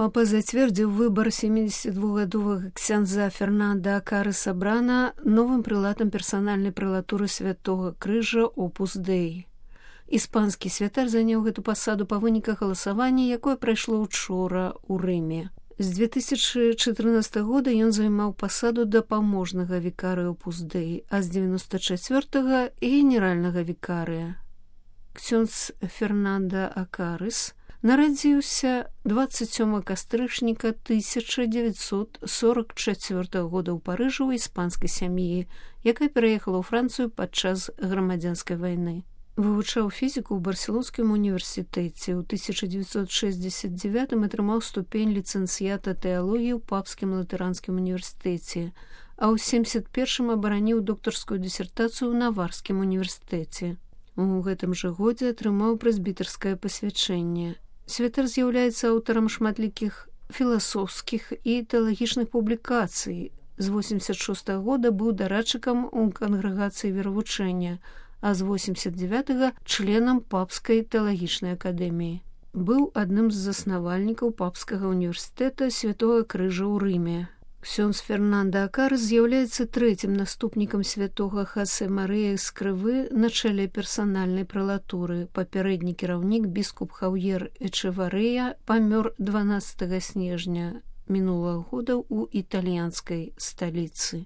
Папа зацвердзіў выбар 72гадовага ксяндза Фернанда Акарыса Брана новым прылатам персанальнай прэлатуры Святога Крыжа Опус Дэй. Іспанскі святар заняў гэту пасаду па выніках галасавання, якое прайшло учора ў Рыме. З 2014 года ён займаў пасаду дапаможнага вікарыя Опус Дэй, а з 94-го – генеральнага вікарыя. Ксёндз Фернанда Акарыс нарадзіўся 27 кастрычніка 1944 года ў Парыжы ў іспанскай сям'і, якая пераехала ў Францыю падчас грамадзянскай вайны. Вывучаў фізіку ў Барселонскім універсітэце. У 1969 атрымаў ступень ліцэнцыята тэалогіі ў Папскім латаранскім універсітэце, а ў 71 абараніў доктарскую дысертацыю ў Наварскім універсітэце. У гэтым жа годзе атрымаў прэзбітарскае пасвячэнне. Святар з'яўляецца аўтарам шматлікіх філасофскіх і тэалагічных публікацый. З 86 года быў дарадчыкам у кангрэгацыі веравучэння, а з 89-го членам Папскай тэалагічнай акадэміі. Быў адным з заснавальнікаў Папскага універсітэта Святога Крыжа ў Рыме. Ксёндз Фернанда Акарыс з'яўляецца трэцім наступнікам святога Хосе Марыя Эскрывы на чале персанальнай прэлатуры. Папярэдні кіраўнік біскуп Хаўер Эчеварэя памёр 12 снежня мінулага года ў італьянскай сталіцы.